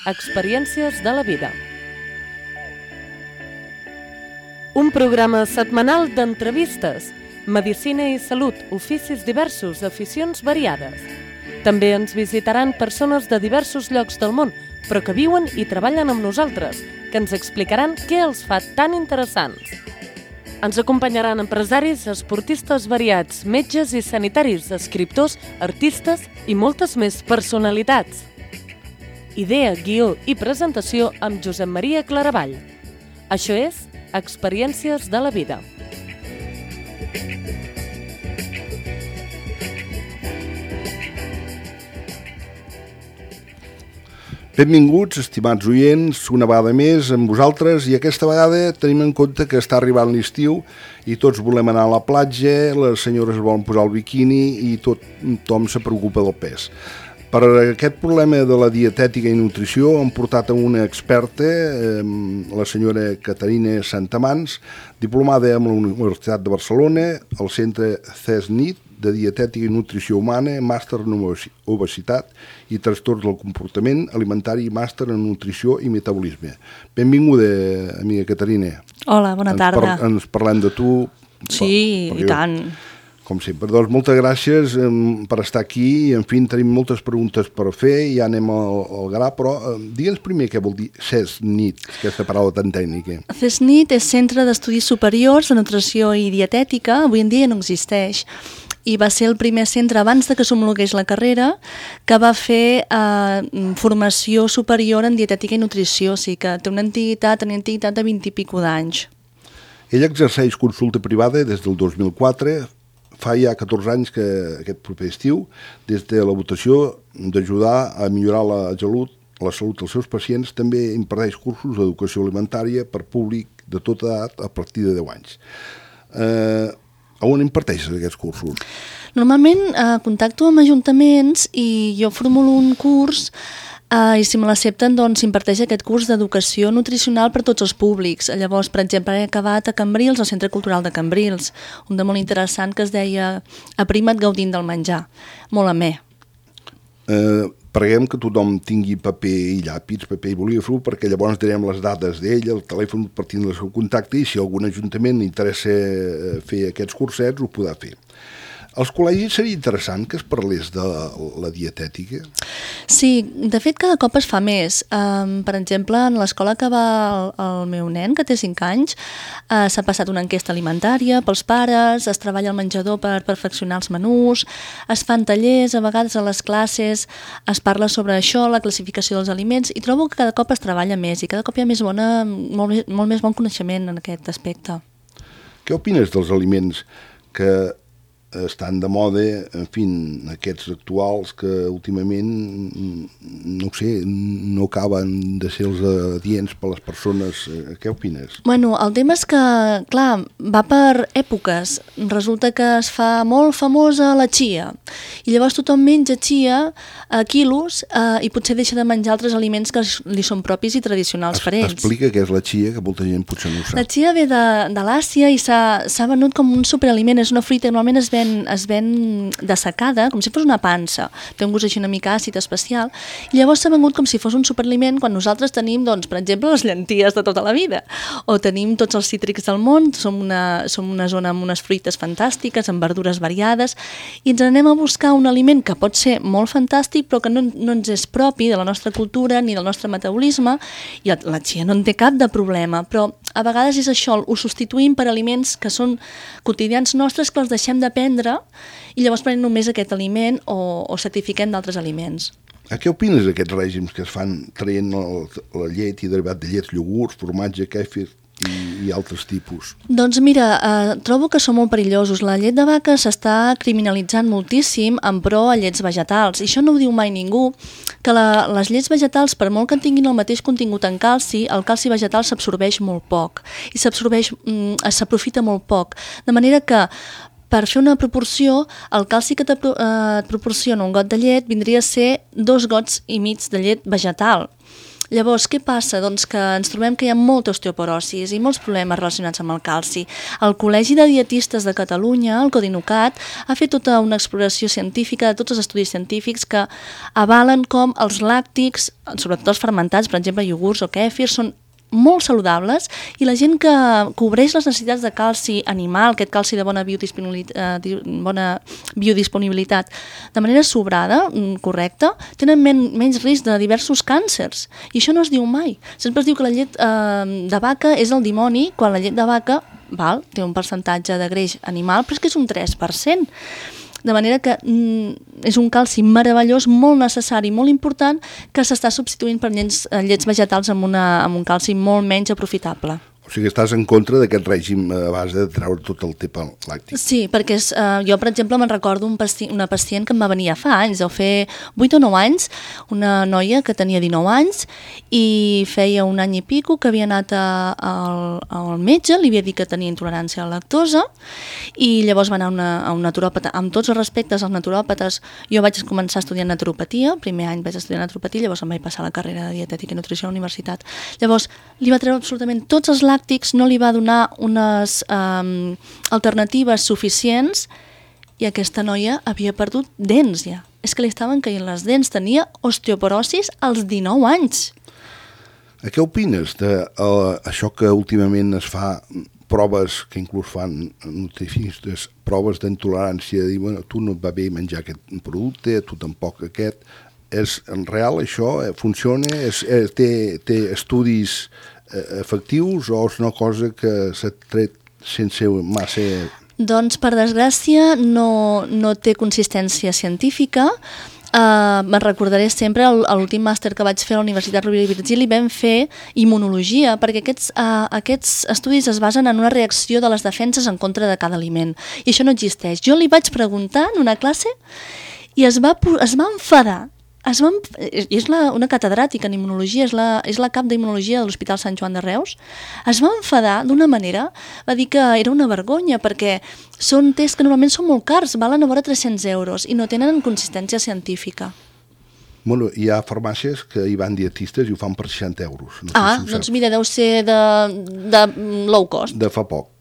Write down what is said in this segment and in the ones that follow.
Experiències de la vida. Un programa setmanal d'entrevistes, medicina i salut, oficis diversos, aficions variades. També ens visitaran persones de diversos llocs del món, però que viuen i treballen amb nosaltres, que ens explicaran què els fa tan interessants. Ens acompanyaran empresaris, esportistes variats, metges i sanitaris, escriptors, artistes i moltes més personalitats. Idea, guió i presentació amb Josep Maria Claravall. Això és Experiències de la vida. Benvinguts, estimats oients, una vegada més amb vosaltres, i aquesta vegada tenim en compte que està arribant l'estiu i tots volem anar a la platja, les senyores volen posar el biquini i tothom se preocupa del pes. Per aquest problema de la dietètica i nutrició hem portat a una experta, la senyora Caterina Santamans, diplomada amb la Universitat de Barcelona, al centre CESNIT de Dietètica i Nutrició Humana, màster en obesitat i trastorns del comportament alimentari i màster en nutrició i metabolisme. Benvinguda, amiga Caterina. Hola, bona tarda. Ens parlem de tu. Sí, i tant. Com sempre. Doncs moltes gràcies per estar aquí i, en fi, tenim moltes preguntes per fer i ja anem al gra, però digue'ns primer què vol dir CESNIT, aquesta paraula tan tècnica. CESNIT és Centre d'Estudis Superiors de Nutrició i Dietètica, avui en dia no existeix, i va ser el primer centre abans de que s'homologués la carrera que va fer formació superior en dietètica i nutrició, o sigui que té una antiguitat de 20 i pico d'anys. Ella exerceix consulta privada des del 2004, fa ja 14 anys que aquest proper estiu, des de la votació d'ajudar a millorar la salut dels seus pacients, també imparteix cursos d'educació alimentària per públic de tota edat a partir de 10 anys. On imparteixes aquests cursos? Normalment contacto amb ajuntaments i jo formulo un curs i si me l'accepten doncs s'imparteix aquest curs d'educació nutricional per tots els públics. Llavors, per exemple, he acabat a Cambrils, al Centre Cultural de Cambrils, un de molt interessant que es deia Aprima't gaudint del menjar, molt amè. Preguem que tothom tingui paper i llapis, paper i bolígraf, perquè llavors direm les dades d'ell, el telèfon partint del seu contacte, i si algun ajuntament interessa fer aquests cursets, ho podrà fer. Als col·legis seria interessant que es parlés de la dietètica? Sí, de fet cada cop es fa més. Per exemple, en l'escola que va el meu nen, que té 5 anys, s'ha passat una enquesta alimentària pels pares, es treballa al menjador per perfeccionar els menús, es fan tallers, a vegades a les classes es parla sobre això, la classificació dels aliments, i trobo que cada cop es treballa més i cada cop hi ha molt més bon coneixement en aquest aspecte. Què opines dels aliments que estan de moda, en fi, aquests actuals que últimament, no sé, no acaben de ser els adients per les persones? Què opines? Bueno, el tema és que, clar, va per èpoques. Resulta que es fa molt famosa la chia i llavors tothom menja chia a quilos i potser deixa de menjar altres aliments que li són propis i tradicionals per ells. Explica què és la chia, que molta gent potser no ho sap. La chia ve de l'Àsia i s'ha venut com un superaliment, és una fruita que normalment es ven dessecada, com si fos una pansa, té un gust així una mica àcid especial, i llavors s'ha vengut com si fos un superaliment quan nosaltres tenim, doncs, per exemple, les llenties de tota la vida, o tenim tots els cítrics del món, som una zona amb unes fruites fantàstiques, amb verdures variades, i ens anem a buscar un aliment que pot ser molt fantàstic, però que no ens és propi de la nostra cultura ni del nostre metabolisme, i la chia no en té cap de problema, però a vegades és això, ho substituïm per aliments que són quotidians nostres, que els deixem de prendre i llavors prenem només aquest aliment o certifiquem d'altres aliments. Què opines d'aquests règims que es fan traient la llet i derivat de llets, iogurts, formatge, kefir i altres tipus? Doncs mira, trobo que són molt perillosos. La llet de vaca s'està criminalitzant moltíssim en pro a llets vegetals. I això no ho diu mai ningú, que les llets vegetals, per molt que tinguin el mateix contingut en calci, el calci vegetal s'absorbeix molt poc i s'aprofita molt poc. De manera que per fer una proporció, el calci que et proporciona un got de llet vindria a ser 2 gots i mig de llet vegetal. Llavors, què passa? Doncs que ens trobem que hi ha molta osteoporosis i molts problemes relacionats amb el calci. El Col·legi de Dietistes de Catalunya, el Codinucat, ha fet tota una exploració científica de tots els estudis científics que avalen com els làctics, sobretot els fermentats, per exemple, iogurts o kèfirs, són molt saludables i la gent que cobreix les necessitats de calci animal, aquest calci de bona biodisponibilitat, de manera sobrada, correcta, tenen menys risc de diversos càncers. I això no es diu mai. Sempre es diu que la llet de vaca és el dimoni, quan la llet de vaca té un percentatge de greix animal, però és que és un 3%. De manera que és un calci meravellós, molt necessari, molt important, que s'està substituint per llets vegetals amb un calci molt menys aprofitable. O sigui, estàs en contra d'aquest règim a base de treure tot el tema làctic. Sí, perquè jo, per exemple, me'n recordo una pacient que em va venir fa anys, deu fer 8 o 9 anys, una noia que tenia 19 anys i feia un any i pico que havia anat al metge, li havia dit que tenia intolerància a la lactosa i llavors va anar a un naturòpata. Amb tots els respectes als naturòpates, jo vaig començar estudiant naturopatia, el primer any vaig estudiar naturopatia, llavors em vaig passar a la carrera de dietètica i nutrició a la universitat. Llavors, li va treure absolutament tots els làctics, no li va donar unes alternatives suficients i aquesta noia havia perdut dents ja. És que li estaven caient les dents, tenia osteoporosis als 19 anys. Què opines d'això que últimament es fa proves que inclús fan nutricionistes, proves d'intolerància, de dir, bueno, tu no et va bé menjar aquest producte, tu tampoc aquest. És real això? Funciona? Té estudis efectius o és una cosa que s'ha tret sense massa... Doncs, per desgràcia, no té consistència científica. Me'n recordaré sempre l'últim màster que vaig fer a la Universitat Rovira i Virgili, vam fer immunologia, perquè aquests estudis es basen en una reacció de les defenses en contra de cada aliment. I això no existeix. Jo li vaig preguntar en una classe i es va enfadar. És una catedràtica en immunologia, és la cap d'immunologia de l'Hospital Sant Joan de Reus. Es va enfadar d'una manera, va dir que era una vergonya perquè són tests que normalment són molt cars, valen a vora 300 euros i no tenen consistència científica. Bueno, hi ha farmàcies que hi van dietistes i ho fan per 60 euros. No doncs mira, deu ser de low cost. De fa poc.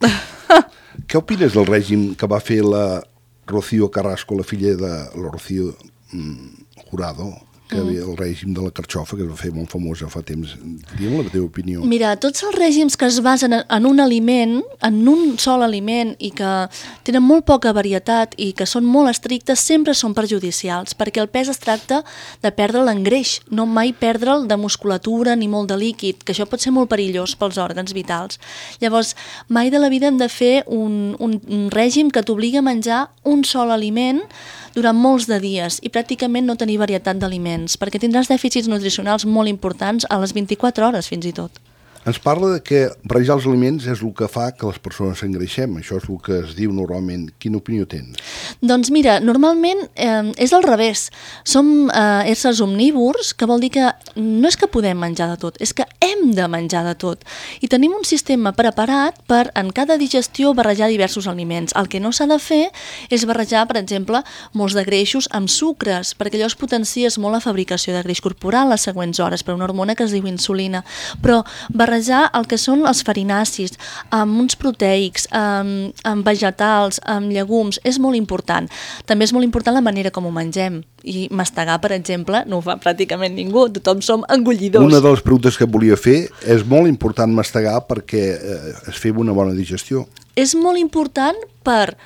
Què opines del règim que va fer la Rocío Carrasco, la filla de la Rocío Jurado, que havia el règim de la carxofa, que es va fer molt famosa fa temps? Digue'm la teva opinió. Mira, tots els règims que es basen en un aliment, en un sol aliment, i que tenen molt poca varietat i que són molt estrictes, sempre són perjudicials, perquè el pes es tracta de perdre'l en greix, no mai perdre'l de musculatura ni molt de líquid, que això pot ser molt perillós pels òrgans vitals. Llavors, mai de la vida hem de fer un règim que t'obligui a menjar un sol aliment durant molts de dies i pràcticament no tenir varietat d'aliments, perquè tindràs dèficits nutricionals molt importants a les 24 hores fins i tot. Ens parla de que barrejar els aliments és el que fa que les persones s'engreixem. Això és el que es diu normalment. Quina opinió tens? Doncs mira, normalment és al revés. Som éssers omnívors, que vol dir que no és que podem menjar de tot, és que hem de menjar de tot. I tenim un sistema preparat per en cada digestió barrejar diversos aliments. El que no s'ha de fer és barrejar, per exemple, molts de greixos amb sucres, perquè allò es potencies molt la fabricació de greix corporal les següents hores per una hormona que es diu insulina. Però barrejar el que són els farinacis, amb uns proteics, amb vegetals, amb llegums, és molt important. També és molt important la manera com ho mengem. I mastegar, per exemple, no ho fa pràcticament ningú, tothom som engollidors. Una de les preguntes que volia fer, és molt important mastegar perquè es fem una bona digestió. És molt important per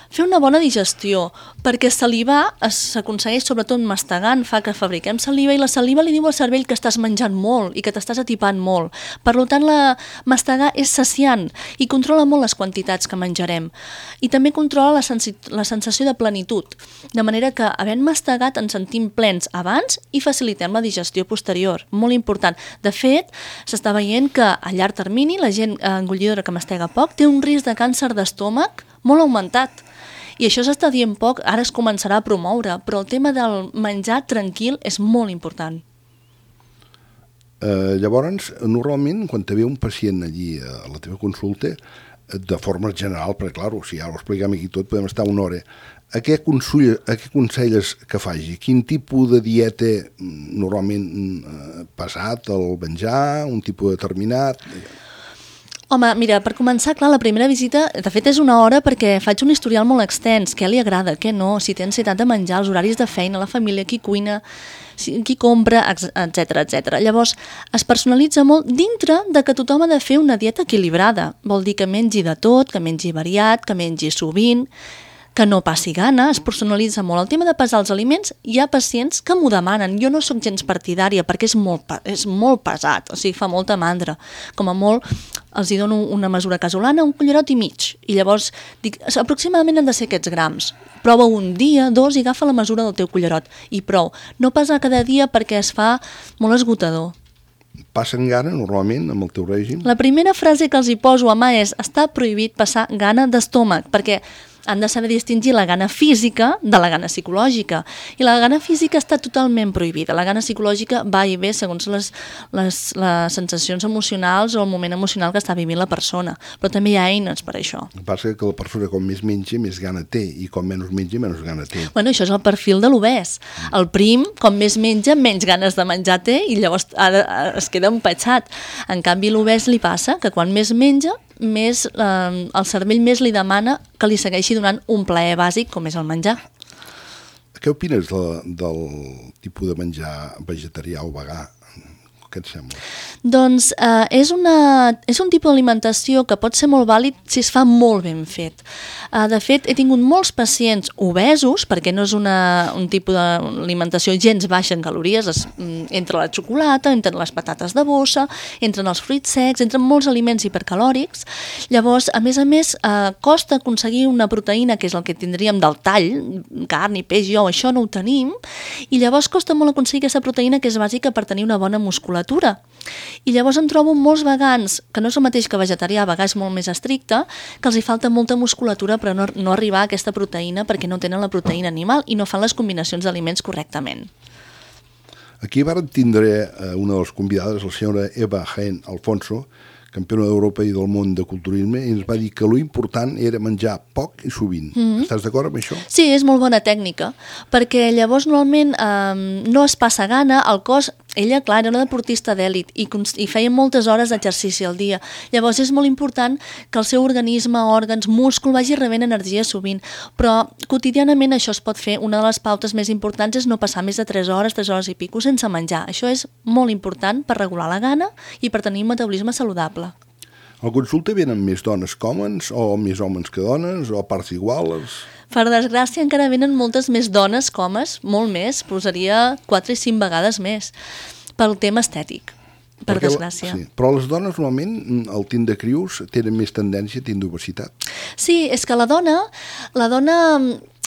fer una bona digestió, perquè salivar s'aconsegueix sobretot mastegant, fa que fabriquem saliva i la saliva li diu al cervell que estàs menjant molt i que t'estàs atipant molt. Per tant, mastegar és saciant i controla molt les quantitats que menjarem. I també controla la sensació de plenitud, de manera que, havent mastegat, ens sentim plens abans i facilitem la digestió posterior. Molt important. De fet, s'està veient que a llarg termini la gent engollidora que mastega poc té un risc de càncer d'estómac molt augmentat. I això s'està dient poc, ara es començarà a promoure, però el tema del menjar tranquil és molt important. Llavors, normalment, quan te ve un pacient allí a la teva consulta, de forma general, perquè, clar, si ara ho expliquem aquí tot, podem estar una hora, A què aconselles que faci? Quin tipus de dieta normalment pesat, el menjar, un tipus determinat? Home, mira, per començar, clar, la primera visita, de fet és una hora perquè faig un historial molt extens, què li agrada, què no, si té ansietat de menjar, els horaris de feina, la família, qui cuina, qui compra, etc etc. Llavors, es personalitza molt dintre de que tothom ha de fer una dieta equilibrada. Vol dir que mengi de tot, que mengi variat, que mengi sovint, que no passi gana, es personalitza molt. El tema de pesar els aliments, hi ha pacients que m'ho demanen. Jo no sóc gens partidària perquè és molt pesat, o sigui, fa molta mandra. Com a molt, els hi dono una mesura casolana, un cullerot i mig. I llavors dic, aproximadament han de ser aquests grams. Prova un dia, 2 i agafa la mesura del teu cullerot. I prou. No pesar cada dia perquè es fa molt esgotador. Passen gana normalment amb el teu règim? La primera frase que els hi poso a mà és està prohibit passar gana d'estómac, perquè han de saber distingir la gana física de la gana psicològica. I la gana física està totalment prohibida. La gana psicològica va i ve segons les sensacions emocionals o el moment emocional que està vivint la persona. Però també hi ha eines per això. El que passa és que la persona com més menja, més gana té, i com menys menja, menys gana té. Bueno, això és el perfil de l'obès. El prim, com més menja, menys ganes de menjar té i llavors es queda empatxat. En canvi, l'obès li passa que quan més menja, més el cervell més li demana que li segueixi donant un plaer bàsic com és el menjar. Què opines del tipus de menjar vegetarià o vegà? Què et sembla? Doncs és un tipus d'alimentació que pot ser molt vàlid si es fa molt ben fet. De fet, he tingut molts pacients obesos, perquè no és un tipus d'alimentació gens baixa en calories, entre la xocolata, entre les patates de bossa, entre els fruits secs, entre molts aliments hipercalòrics. Llavors, a més, costa aconseguir una proteïna, que és el que tindríem del tall, carn i peix, això no ho tenim, i llavors costa molt aconseguir aquesta proteïna que és bàsica per tenir una bona musculatura. I llavors em trobo molts vegans, que no és el mateix que vegetarià, vegà és molt més estricte, que els hi falta molta musculatura però no arribar a aquesta proteïna perquè no tenen la proteïna animal i no fan les combinacions d'aliments correctament. Aquí vàrem tindre una de les convidades, la senyora Eva Jaén Alfonso, campiona d'Europa i del món de culturisme, i ens va dir que l'important era menjar poc i sovint. Estàs d'acord amb això? Sí, és molt bona tècnica, perquè llavors normalment no es passa gana, el cos, ella, clar, era una deportista d'èlit i feia moltes hores d'exercici al dia. Llavors és molt important que el seu organisme, òrgans, múscul vagi rebent energia sovint, però quotidianament això es pot fer. Una de les pautes més importants és no passar més de 3 hores i pico sense menjar. Això és molt important per regular la gana i per tenir un metabolisme saludable. Al consulta venen més dones que homes o més homes que dones o a parts iguals? Per desgràcia encara venen moltes més dones que homes, molt més, posaria 4 i 5 vegades més, pel tema estètic, per desgràcia. Sí, però les dones normalment, al tint de crius, tenen més tendència a tindre obesitat. Sí, és que la dona,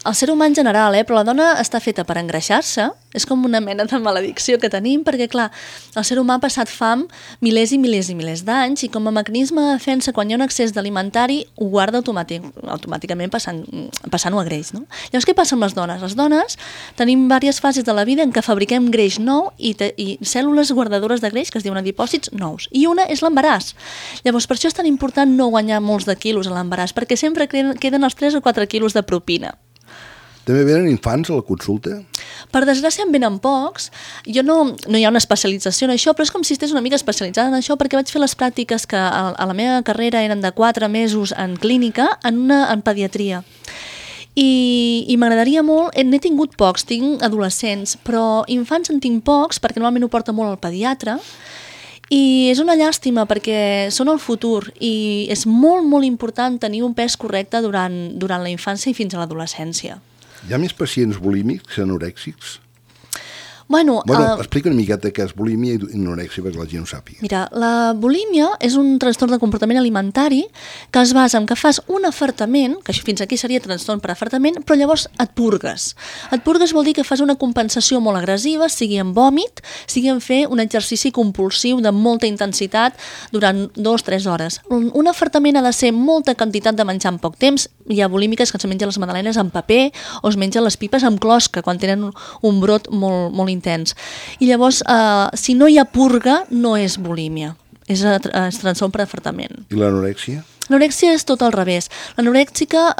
el ser humà en general, però la dona està feta per engreixar-se, és com una mena de maledicció que tenim, perquè clar, el ser humà ha passat fam milers i milers i milers d'anys i com a mecanisme de defensa, quan hi ha un excés d'alimentari, ho guarda automàticament passant-ho a greix, no? Llavors, què passa amb les dones? Les dones tenim diverses fases de la vida en què fabriquem greix nou i cèl·lules guardadores de greix, que es diuen adipòcits nous, i una és l'embaràs. Llavors, per això és tan important no guanyar molts de quilos a l'embaràs, perquè sempre queden els 3 o 4 quilos de propina. També venen infants a la consulta? Per desgràcia en venen pocs. Jo no hi ha una especialització en això, però és com si estigués una mica especialitzada en això perquè vaig fer les pràctiques que a la meva carrera eren de 4 mesos en clínica, en pediatria. I m'agradaria molt, n'he tingut pocs, tinc adolescents, però infants en tinc pocs perquè normalment ho porta molt el pediatre. I és una llàstima perquè són el futur i és molt, molt important tenir un pes correcte durant la infància i fins a l'adolescència. Hi ha més pacients bulímics que anorèxics? Bueno, explica una miqueta què és bulímia i anorèxia perquè la gent ho sàpiga. Mira, la bulímia és un trastorn de comportament alimentari que es basa en que fas un afartament, que fins aquí seria trastorn per afartament, però llavors et purgues. Et purgues vol dir que fas una compensació molt agressiva, sigui en vòmit, sigui en fer un exercici compulsiu de molta intensitat durant 2-3 hores. Un afartament ha de ser molta quantitat de menjar en poc temps. Hi ha bulímiques que es mengen les magdalenes amb paper o es mengen les pipes amb closca quan tenen un brot molt, molt intens. I llavors, si no hi ha purga, no és bulímia, és trastorn per afartament. I l'anorèxia? L'anorèxia és tot al revés. L'anorèxica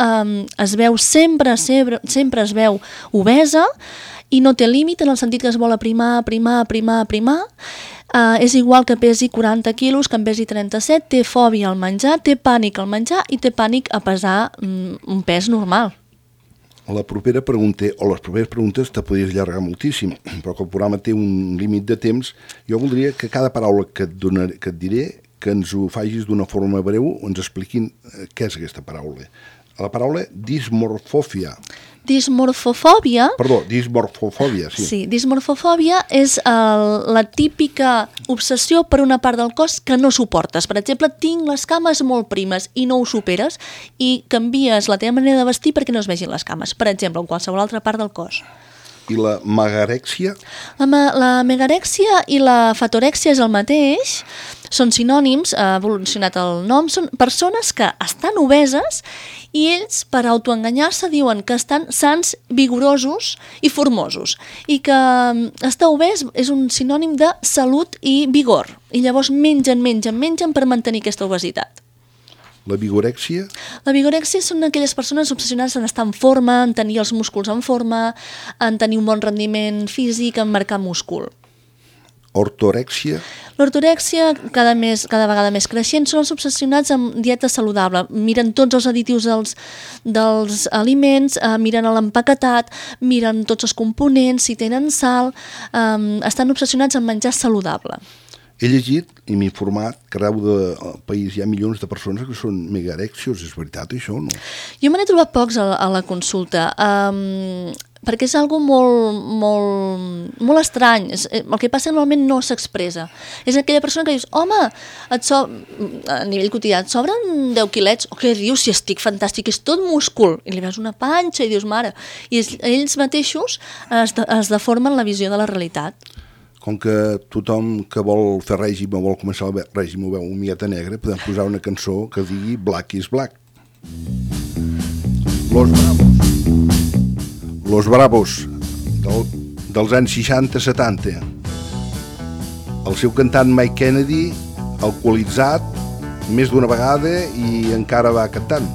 es veu sempre es veu obesa i no té límit en el sentit que es vol aprimar. És igual que pesi 40 quilos, que en pesi 37, té fòbia al menjar, té pànic al menjar i té pànic a pesar un pes normal. La propera pregunta, o les properes preguntes te podries allargar moltíssim, però que el programa té un límit de temps. Jo voldria que cada paraula que et diré, que ens ho facis d'una forma breu, ens expliquin què és aquesta paraula. La paraula dismorfòfia. Dismorfofòbia... Perdó, dismorfofòbia, sí. Sí, dismorfofòbia és la típica obsessió per una part del cos que no suportes. Per exemple, tinc les cames molt primes i no ho superes i canvies la teva manera de vestir perquè no es vegin les cames. Per exemple, en qualsevol altra part del cos. I la megarèxia? La megarèxia i la fatorèxia és el mateix, són sinònims, ha evolucionat el nom, són persones que estan obeses i ells, per autoenganyar-se, diuen que estan sans, vigorosos i formosos i que estar obès és un sinònim de salut i vigor i llavors mengen per mantenir aquesta obesitat. La vigorèxia? La vigorèxia són aquelles persones obsessionades en estar en forma, en tenir els músculs en forma, en tenir un bon rendiment físic, en marcar múscul. Ortorèxia? L'ortorèxia, cada vegada més creixent, són els obsessionats amb dieta saludable. Miren tots els additius dels aliments, miren l'empaquetat, miren tots els components, si tenen sal, estan obsessionats en menjar saludable. He llegit i m'he informat que arreu del país hi ha milions de persones que són megarèxios. És veritat això o no? Jo me n'he trobat pocs a la consulta, perquè és algo molt estrany. El que passa normalment no s'expressa. És aquella persona que dius, home, a nivell quotidià, et sobren 10 quilets? O què dius, si estic fantàstic, és tot múscul. I li veus una panxa i dius, mare. I ells mateixos es deformen la visió de la realitat. Com que tothom que vol fer règim o vol començar el règim ho veu una miqueta negra, podem posar una cançó que digui Black is Black. Los Bravos, dels anys 60-70. El seu cantant Mike Kennedy, alcoholitzat, més d'una vegada i encara va cantant.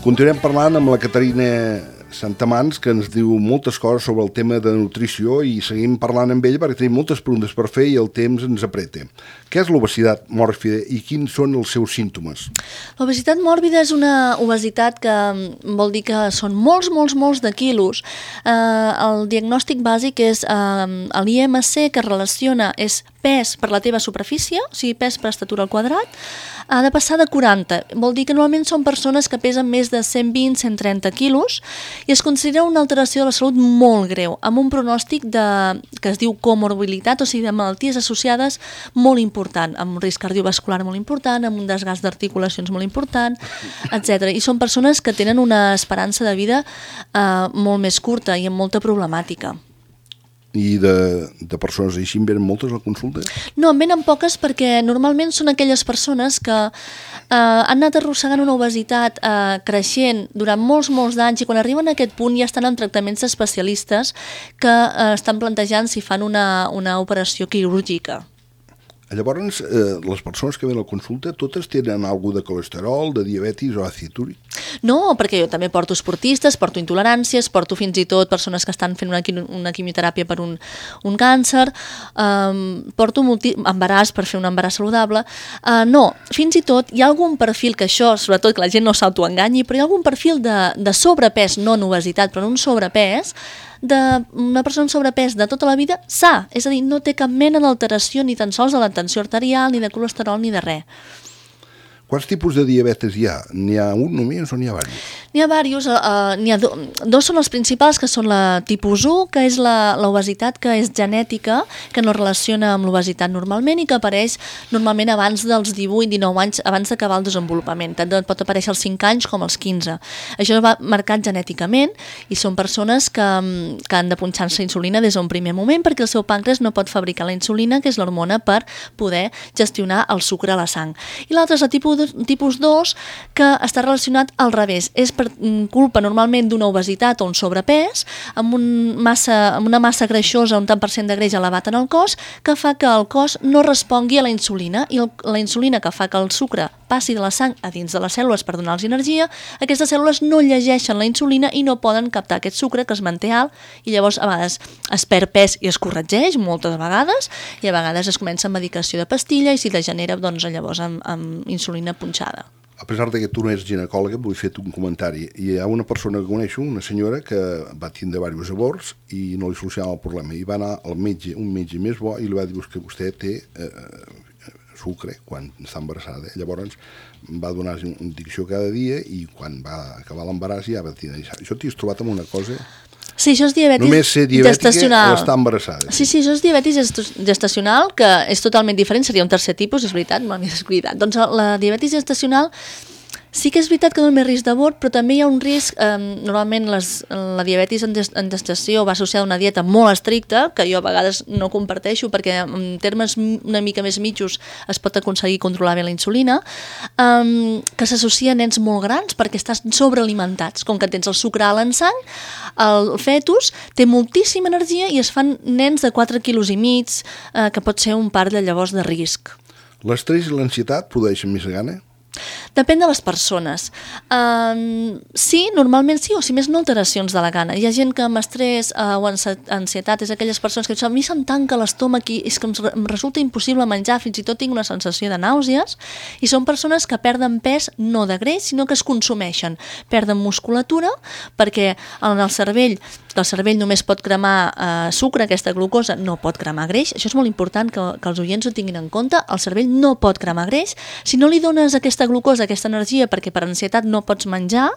Continuem parlant amb la Caterina Santamans, que ens diu moltes coses sobre el tema de nutrició i seguim parlant amb ell perquè tenim moltes preguntes per fer i el temps ens apreta. Què és l'obesitat mòrbida i quins són els seus símptomes? L'obesitat mòrbida és una obesitat que vol dir que són molts de quilos. El diagnòstic bàsic és l'IMC, que relaciona és pes per la teva superfície, o sigui, pes per estatura al quadrat, ha de passar de 40. Vol dir que normalment són persones que pesen més de 120-130 quilos i es considera una alteració de la salut molt greu, amb un pronòstic que es diu comorbilitat, o sigui, de malalties associades molt important, amb un risc cardiovascular molt important, amb un desgast d'articulacions molt important, etc. I són persones que tenen una esperança de vida molt més curta i amb molta problemàtica. I de persones així en venen moltes a la consulta? No, en venen poques perquè normalment són aquelles persones que han anat arrossegant una obesitat creixent durant molts d'anys i quan arriben a aquest punt ja estan en tractaments especialistes que estan plantejant si fan una operació quirúrgica. Llavors, les persones que venen a la consulta totes tenen alguna de colesterol, de diabetis o àcid úric? No, perquè jo també porto esportistes, porto intoleràncies, porto fins i tot persones que estan fent una quimioteràpia per un càncer, porto embaràs per fer un embaràs saludable. No, fins i tot hi ha algun perfil que això, sobretot que la gent no s'autoenganyi, però hi ha algun perfil de sobrepès, no en obesitat, però en un sobrepès, d'una persona amb sobrepès de tota la vida sa, és a dir, no té cap mena d'alteració ni tan sols de la tensió arterial, ni de colesterol, ni de res. Quants tipus de diabetes hi ha? N'hi ha un només o n'hi ha diversos? N'hi ha diversos, dos són els principals, que són la tipus 1, que és l'obesitat que és genètica, que no relaciona amb l'obesitat normalment i que apareix normalment abans dels 18-19 anys, abans d'acabar el desenvolupament. Tant pot aparèixer als 5 anys com als 15. Això va marcat genèticament i són persones que han de punxar-se insulina des d'un primer moment perquè el seu pàncreas no pot fabricar la insulina, que és l'hormona per poder gestionar el sucre a la sang. I l'altre és la tipus 2, que està relacionat al revés. És per culpa normalment d'una obesitat o un sobrepès, amb una massa greixosa, un tant per cent de greix elevat en el cos, que fa que el cos no respongui a la insulina, i la insulina, que fa que el sucre passi de la sang a dins de les cèl·lules per donar-los energia, aquestes cèl·lules no llegeixen la insulina i no poden captar aquest sucre que es manté alt, i llavors a vegades es perd pes i es corregeix moltes vegades, i a vegades es comença amb medicació de pastilla i si degenera doncs, llavors amb insulina punxada. A pesar de que tu no ets ginecòloga, vull fer un comentari. Hi ha una persona que coneixo, una senyora, que va tindre diversos aborts i no li solucionava el problema. I va anar al metge, un metge més bo, i li va dir que vostè té sucre quan està embarassada. Llavors va donar una dicció cada dia i quan va acabar l'embaràs ja va tenir... Això t'hi has trobat amb una cosa... Sí, això és diabetis només ser diabètica gestacional. o estar embarassada. Sí, això és diabetis gestacional, que és totalment diferent, seria un tercer tipus, és veritat, m'ho havies descuidat. Doncs la diabetis gestacional sí que és veritat que dona més risc d'abort, però també hi ha un risc, normalment la diabetis en gestació va associada a una dieta molt estricta, que jo a vegades no comparteixo perquè en termes una mica més mitjos es pot aconseguir controlar bé la insulina, que s'associa a nens molt grans perquè estàs sobrealimentats. Com que tens el sucre alt en sang, el fetus té moltíssima energia i es fan nens de 4,5 quilos, que pot ser un part de llavors de risc. L'estrès i l'ansietat produeixen més gana? Depèn de les persones. Sí, normalment sí, o si més no alteracions de la gana. Hi ha gent que amb estrès o ansietat és aquelles persones que diuen a mi se'm tanca l'estómac i és que em resulta impossible menjar, fins i tot tinc una sensació de nàusees, i són persones que perden pes no de greix, sinó que es consumeixen. Perden musculatura perquè en el cervell només pot cremar sucre, aquesta glucosa no pot cremar greix. Això és molt important que els oients ho tinguin en compte. El cervell no pot cremar greix. Si no li dones aquesta glucosa, aquesta energia, perquè per ansietat no pots menjar,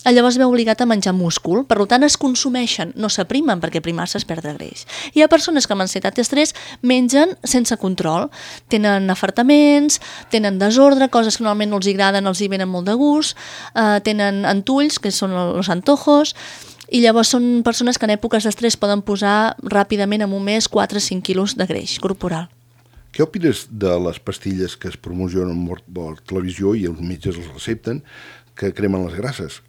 llavors veu obligat a menjar múscul. Per tant, es consumeixen, no s'aprimen, perquè aprimar-se es perd de greix. Hi ha persones que amb ansietat i estrès mengen sense control. Tenen afartaments, tenen desordre, coses que normalment no els agraden, els hi venen molt de gust, tenen entulls, que són els antojos, i llavors són persones que en èpoques d'estrès poden posar ràpidament en un mes 4-5 quilos de greix corporal. Què opines de les pastilles que es promocionen per la televisió i els metges els recepten, que cremen les grasses?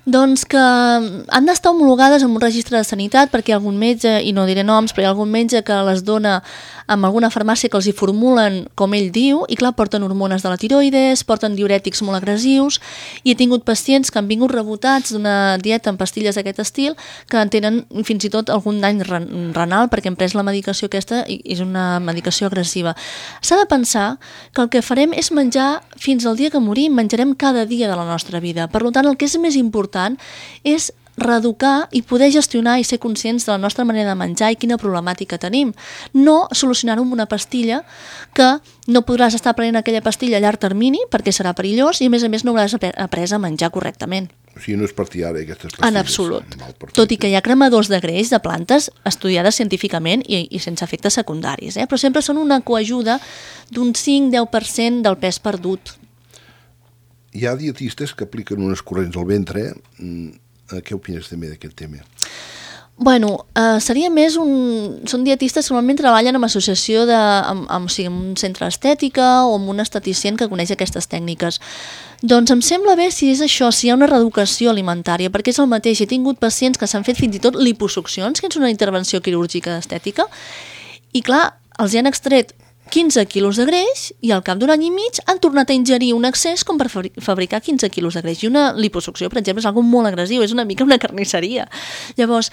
Doncs que han d'estar homologades amb un registre de sanitat perquè hi ha algun metge, i no diré noms, però hi ha algun metge que les dona amb alguna farmàcia que els hi formulen com ell diu, i clar, porten hormones de la tiroides, porten diurètics molt agressius, i he tingut pacients que han vingut rebotats d'una dieta amb pastilles d'aquest estil que tenen fins i tot algun dany renal perquè han pres la medicació aquesta i és una medicació agressiva. S'ha de pensar que el que farem és menjar fins al dia que morim, menjarem cada dia de la nostra vida. Per tant, el que és més important és reeducar i poder gestionar i ser conscients de la nostra manera de menjar i quina problemàtica tenim. No solucionar-ho amb una pastilla que no podràs estar prenent aquella pastilla a llarg termini perquè serà perillós i a més no hauràs après a menjar correctament. O sigui, no és partidari aquestes pastilles. En absolut. Tot i que hi ha cremadors de greix de plantes estudiades científicament i sense efectes secundaris, però sempre són una coajuda d'un 5-10% del pes perdut. Hi ha dietistes que apliquen unes corrents al ventre. Què opines també d'aquest tema? Bueno, seria més són dietistes que normalment treballen en associació amb un centre d'estètica o amb un esteticient que coneix aquestes tècniques. Doncs em sembla bé si és això, si hi ha una reeducació alimentària, perquè és el mateix. He tingut pacients que s'han fet fins i tot liposuccions, que és una intervenció quirúrgica estètica, i clar, els hi han extret 15 quilos de greix i al cap d'un any i mig han tornat a ingerir un excés com per fabricar 15 quilos de greix. I una liposucció, per exemple, és algo molt agressiu, és una mica una carnisseria. Llavors,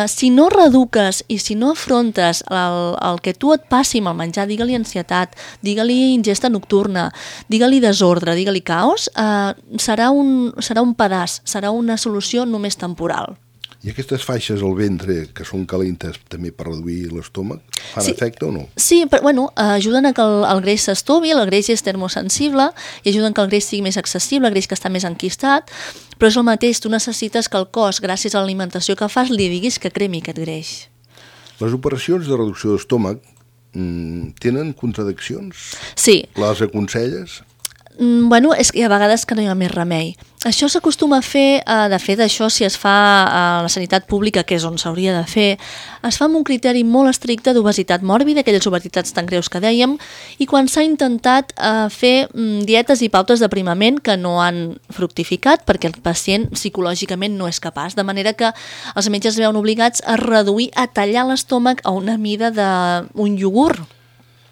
si no reeduques i si no afrontes el que tu et passi amb el menjar, digue-li ansietat, digue-li ingesta nocturna, digue-li desordre, digue-li caos, serà un pedaç, serà una solució només temporal. I aquestes faixes al ventre, que són calentes també per reduir l'estómac, fan efecte o no? Sí, però bueno, ajuden a que el greix s'estovi, el greix és termosensible i ajuden que el greix sigui més accessible, el greix que està més enquistat, però és el mateix, tu necessites que el cos, gràcies a l'alimentació que fas, li diguis que cremi aquest greix. Les operacions de reducció d'estómac tenen contradiccions? Sí. Les aconselles? Bueno, és que hi ha vegades que no hi ha més remei. Això s'acostuma a fer, de fet, això si es fa a la sanitat pública, que és on s'hauria de fer, es fa amb un criteri molt estricte d'obesitat mòrbida, aquelles obesitats tan greus que dèiem, i quan s'ha intentat fer dietes i pautes d'aprimament que no han fructificat perquè el pacient psicològicament no és capaç, de manera que els metges es veuen obligats a reduir, a tallar l'estómac a una mida d'un iogurt.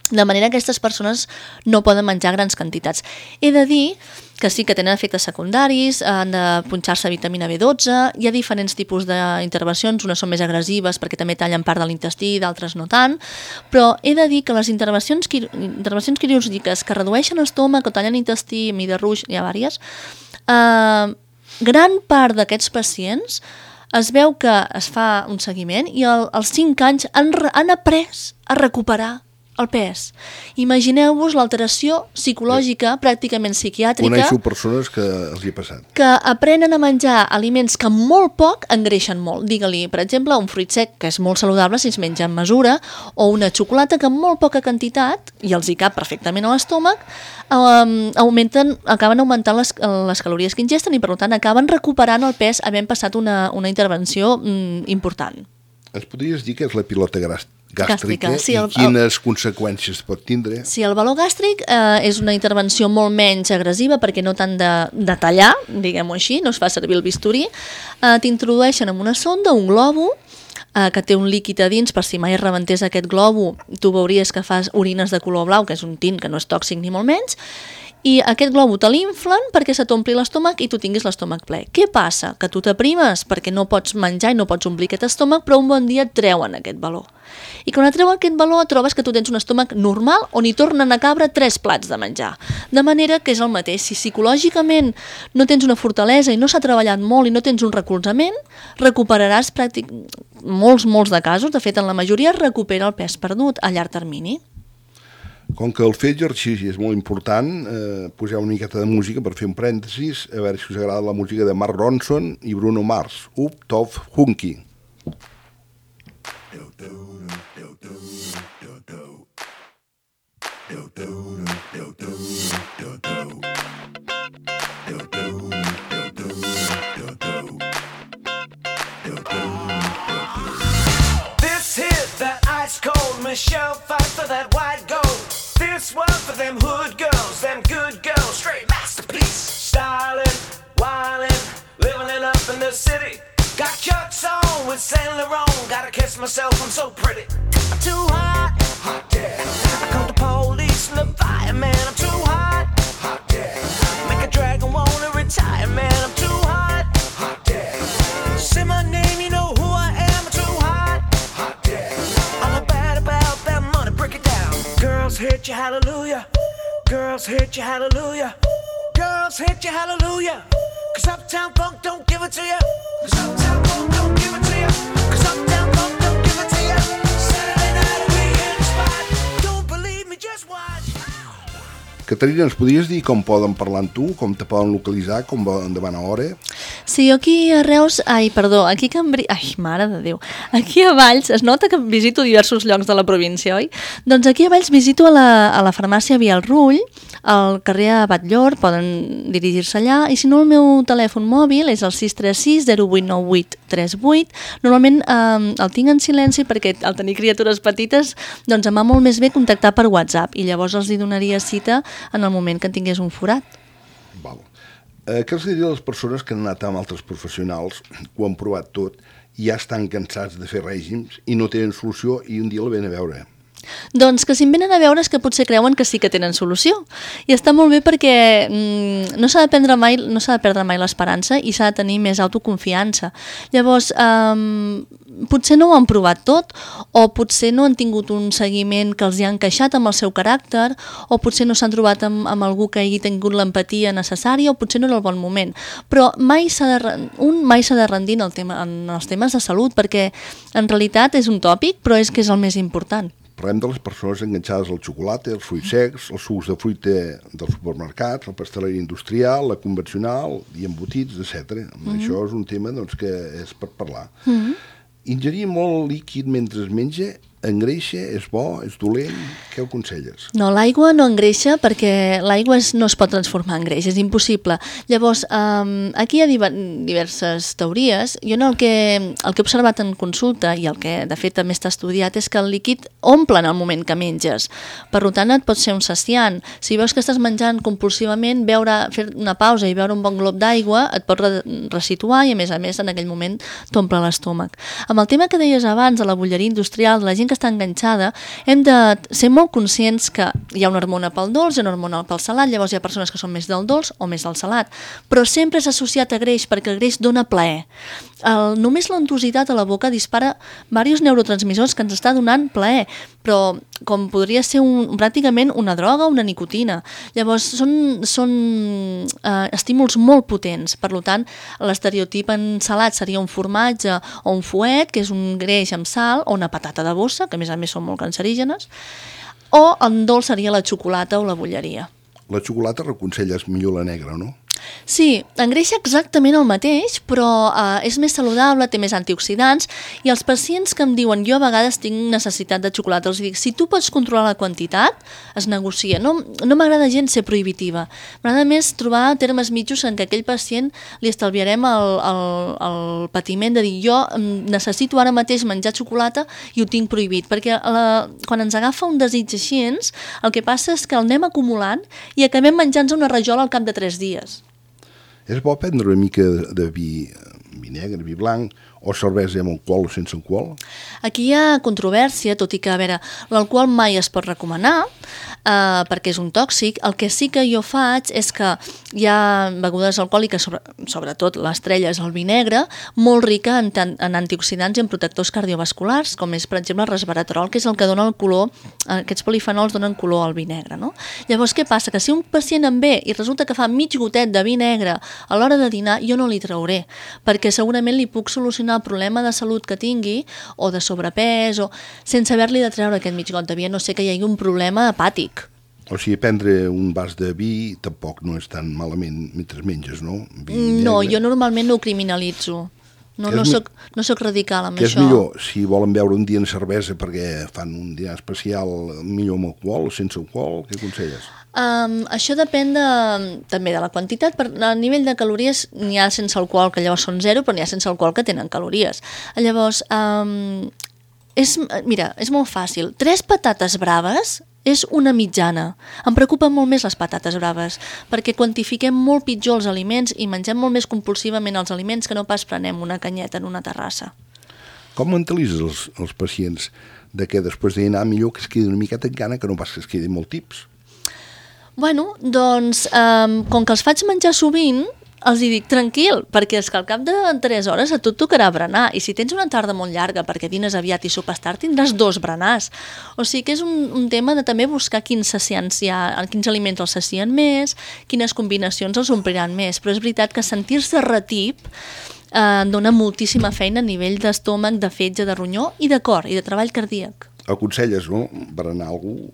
De manera que aquestes persones no poden menjar grans quantitats. He de dir que sí que tenen efectes secundaris, han de punxar-se vitamina B12, hi ha diferents tipus d'intervencions, unes són més agressives perquè també tallen part de l'intestí, d'altres no tant, però he de dir que les intervencions quirúrgiques que redueixen l'estómac o tallen intestí, mida ruix, hi ha diverses, gran part d'aquests pacients es veu que es fa un seguiment i als 5 anys han après a recuperar el pes. Imagineu-vos l'alteració psicològica, pràcticament psiquiàtrica. Coneixo persones que els hi ha passat. Que aprenen a menjar aliments que molt poc engreixen molt. Digue-li, per exemple, un fruit sec, que és molt saludable si es menja en mesura, o una xocolata que amb molt poca quantitat, i els hi cap perfectament a l'estómac, acaben augmentant les calories que ingesten i, per tant, acaben recuperant el pes havent passat una intervenció important. Ens podries dir què és la pilota gàstrica sí, i quines conseqüències pot tindre? Sí, el baló gàstric és una intervenció molt menys agressiva perquè no tant de tallar, diguem-ho així, no es fa servir el bisturí. T'introdueixen en una sonda, un globo, que té un líquid a dins, per si mai es rebentés aquest globo, tu veuries que fas orines de color blau, que és un tint que no és tòxic ni molt menys, i aquest globo te l'inflen perquè se t'ompli l'estómac i tu tinguis l'estómac ple. Què passa? Que tu t'aprimes perquè no pots menjar i no pots omplir aquest estómac, però un bon dia et treuen aquest baló. I quan et treuen aquest baló trobes que tu tens un estómac normal on hi tornen a cabre 3 plats de menjar. De manera que és el mateix. Si psicològicament no tens una fortalesa i no s'ha treballat molt i no tens un recolzament, recuperaràs molts de casos, de fet en la majoria es recupera el pes perdut a llarg termini. Com que el fer exercici és molt important, poseu una miqueta de música per fer un parèntesis, a veure si us agrada la música de Mark Ronson i Bruno Mars, Up Top Hunky. This hit that ice cold Michelle fight for that white gold. This one for them hood girls, them good girls, straight masterpiece. Stylin', wildin', living it up in the city. Got chucks on with Saint Laurent, gotta kiss myself, I'm so pretty. I'm too hot, hot damn. I call the police and the fireman, I'm too hot, hot damn. Make a dragon wanna retire, man, I'm too hot, hot damn. Say my name, you know who I am, I'm too hot, hot damn. I'm bad about that money, break it down. Girls hit you, hallelujah. Girls hit you, hallelujah. Girls hit you, hallelujah. Cause Uptown Funk don't give it to you. Cause Uptown Funk don't give it to you. Cause Uptown Funk don't give it to you. Saturday night we in the spot. Don't believe me, just watch. Caterina, ens podries dir com poden parlar amb tu, com te poden localitzar, com van a hora? Sí, aquí a Reus, aquí a Cambrils, mare de Déu, aquí a Valls, es nota que visito diversos llocs de la província, oi? Doncs aquí a Valls visito a la farmàcia Via el Rull, al carrer Batllor, poden dirigir-se allà, i si no el meu telèfon mòbil és el 636 0898 38, normalment el tinc en silenci perquè al tenir criatures petites doncs em va molt més bé contactar per WhatsApp i llavors els hi donaria cita en el moment que en tingués un forat. Val. Què els diria a les persones que han anat amb altres professionals, ho han provat tot, i ja estan cansats de fer règims i no tenen solució i un dia la ven a veure? Doncs que si em venen a veure és que potser creuen que sí que tenen solució. I està molt bé perquè no s'ha de perdre mai l'esperança i s'ha de tenir més autoconfiança. Llavors, potser no ho han provat tot, o potser no han tingut un seguiment que els hi ha encaixat amb el seu caràcter, o potser no s'han trobat amb algú que hagi tingut l'empatia necessària, o potser no era el bon moment. Però mai s'ha de rendir en els temes de salut, perquè en realitat és un tòpic, però és que és el més important. Parlem de les persones enganxades al xocolata, els fruits secs, els sucs de fruita dels supermercats, la pasteleria industrial, la convencional i embotits, etc. Això és un tema doncs, que és per parlar. Ingerir molt líquid mentre es menja engreixa, és bo, és dolent? Què ho aconselles? No, l'aigua no engreixa perquè l'aigua no es pot transformar en greix, és impossible. Llavors, aquí hi ha diverses teories. Jo el que he observat en consulta i el que de fet també està estudiat és que el líquid omple en el moment que menges. Per tant, et pot ser un saciant. Si veus que estàs menjant compulsivament, fer una pausa i beure un bon glob d'aigua et pot resituar i a més en aquell moment t'omple l'estómac. Amb el tema que deies abans de la bolleria industrial, de la gent que està enganxada, hem de ser molt conscients que hi ha una hormona pel dolç i una hormona pel salat, llavors hi ha persones que són més del dolç o més del salat, però sempre és associat a greix perquè el greix dona plaer. Només l'entositat a la boca dispara diversos neurotransmissors que ens està donant plaer, però com podria ser pràcticament una droga o una nicotina. Llavors són estímuls molt potents, per tant l'estereotip en salat seria un formatge o un fuet, que és un greix amb sal, o una patata de bossa, que a més són molt cancerígenes, o en dolç seria la xocolata o la bolleria. La xocolata reconselles millor la negra, no? Sí, engreixa exactament el mateix, però és més saludable, té més antioxidants, i els pacients que em diuen jo a vegades tinc necessitat de xocolata, els dic, si tu pots controlar la quantitat, es negocia. No m'agrada gens ser prohibitiva. M'agrada més trobar termes mitjos en què aquell pacient li estalviarem el patiment de dir jo necessito ara mateix menjar xocolata i ho tinc prohibit, perquè quan ens agafa un desig així, el que passa és que el anem acumulant i acabem menjant-nos una rajola al cap de 3 dies. És bo prendre una mica de vi negre, vi blanc, o cervesa amb alcohol o sense alcohol? Aquí hi ha controvèrsia, tot i que, a veure, l'alcohol mai es pot recomanar, perquè és un tòxic. El que sí que jo faig és que hi ha begudes alcohòliques, sobretot l'estrella és el vi negre, molt rica en antioxidants i en protectors cardiovasculars, com és, per exemple, el resveratrol, que és el que dona el color, aquests polifenols donen color al vi negre, no? Llavors, què passa? Que si un pacient em ve i resulta que fa mig gotet de vi negre a l'hora de dinar, jo no li trauré, perquè segurament li puc solucionar el problema de salut que tingui, o de sobrepès, o sense haver-li de treure aquest mig got de vi, a no ser que hi hagi un problema hepàtic. O sigui, prendre un vas de vi tampoc no és tan malament mentre menges, no? No, jo normalment no ho criminalitzo. No soc radical amb això. això. És millor, si volen beure un dia en cervesa perquè fan un dinar especial, millor amb alcohol o sense alcohol, què aconselles? Això depèn també de la quantitat. A nivell de calories n'hi ha sense alcohol, que llavors són 0, però n'hi ha sense alcohol que tenen calories. Llavors, és molt fàcil. 3 patates braves és una mitjana. Em preocupen molt més les patates braves, perquè quantifiquem molt pitjor els aliments i mengem molt més compulsivament els aliments que no pas prenem una canyeta en una terrassa. Com mentalitzes els pacients de que després de dinar millor que es quedi una miqueta en gana que no pas que es quedi molt tips? Bueno, doncs, com que els faig menjar sovint, els hi dic tranquil, perquè és que al cap de 3 hores a tu et tocarà berenar, i si tens una tarda molt llarga perquè dines aviat i sopes tard, tindràs 2 berenars. O sigui que és un tema de també buscar quins saciants hi ha, quins aliments els sacien més, quines combinacions els ompliran més, però és veritat que sentir-se retip dona moltíssima feina a nivell d'estómac, de fetge, de ronyó i de cor, i de treball cardíac. Aconselles, no?, berenar algú?